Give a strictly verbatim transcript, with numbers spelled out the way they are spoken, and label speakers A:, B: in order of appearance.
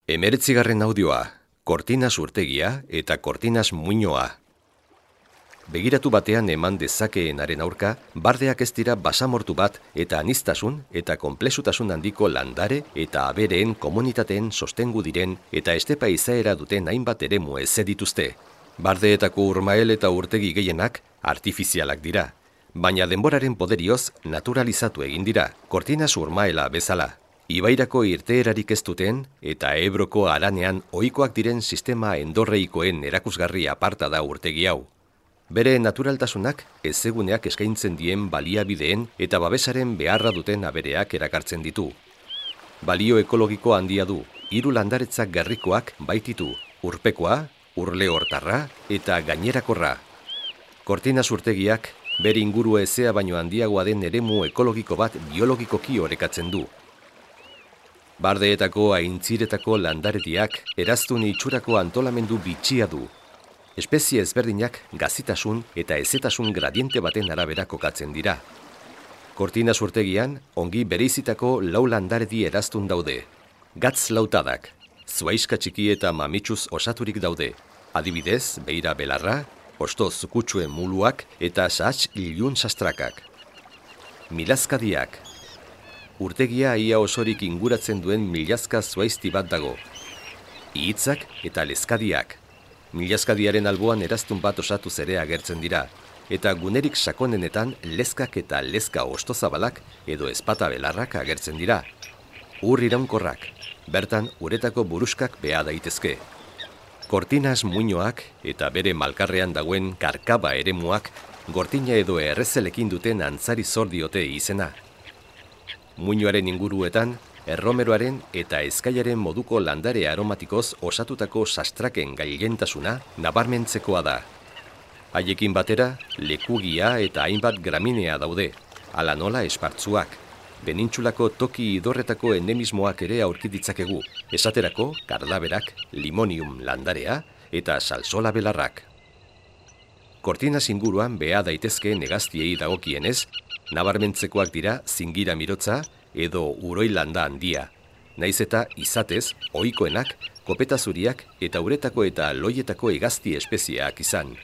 A: Hemeretzigarren audioa, Kortinas urtegia eta Kortinas muinoa. Begiratu batean eman dezakeenaren aurka, bardeak ez dira basamortu bat eta aniztasun eta konplexutasun handiko landare eta abereen komunitateen sostengu diren eta estepa izaera duten hainbat eremu ez dituzte. Bardeetako urmael eta urtegi gehienak artifizialak dira, baina denboraren poderioz naturalizatu egin dira, Kortinas urmaela bezala. Ibairako irteerarik ez duten eta Ebroko haranean ohikoak diren sistema endorreikoen erakusgarri aparta da urtegi hau. Bere naturaltasunak ezeguneak eskaintzen dien baliabideen eta babesaren beharra duten abereak erakartzen ditu. Balio ekologiko handia du, hiru landaretzak gerrikoak baititu, urpekoa, urle hortarra eta gainerakorra. Kortinas urtegiak bere inguru ezea baino handiagoa den eremu ekologiko bat biologikoki orekatzen du. Bardeetako aintziretako landarediak eraztun itxurako antolamendu bitxia du. Espezie ezberdinak gazitasun eta ezetasun gradiente baten arabera kokatzen dira. Kortinas urtegian ongi bereizitako lau landaredi eraztun daude. Gatz lautadak, zuaiska txiki eta mamitsuz osaturik daude. Adibidez, beira belarra, hosto zukutsuen muluak eta sahats ilun sastrakak. Milazkadiak. Urtegia ia osorik inguratzen duen milazka zuaizti bat dago. Ihitzak eta lezkadiak. Milazkadiaren alboan eraztun bat osatuz ere agertzen dira, eta gunerik sakonenetan lezkak eta lezka ostozabalak edo ezpata belarrak agertzen dira. Ur iraunkorrak, bertan uretako buruskak beha daitezke. Kortinas muinoak eta bere malkarrean dagoen karkaba eremuak gortina edo errezelekin duten antzari zor diote izena. Muinoaren inguruetan, erromeroaren eta ezkaiaren moduko landare aromatikoz osatutako sastraken gailentasuna nabarmentzekoa da. Haiekin batera, lekugia eta hainbat graminea daude, hala nola espartzuak. Penintsulako toki idorretako endemismoak ere aurki ditzakegu, esaterako kardaberak, limonium landarea eta salsola belarrak. Kortinas inguruan beha daitezke negaztiei dagokienez, nabarmentzekoak dira zingira mirotza edo uroi landa handia, naiz eta izatez ohikoenak kopeta zuriak eta uretako eta loietako hegazti espezieak izan.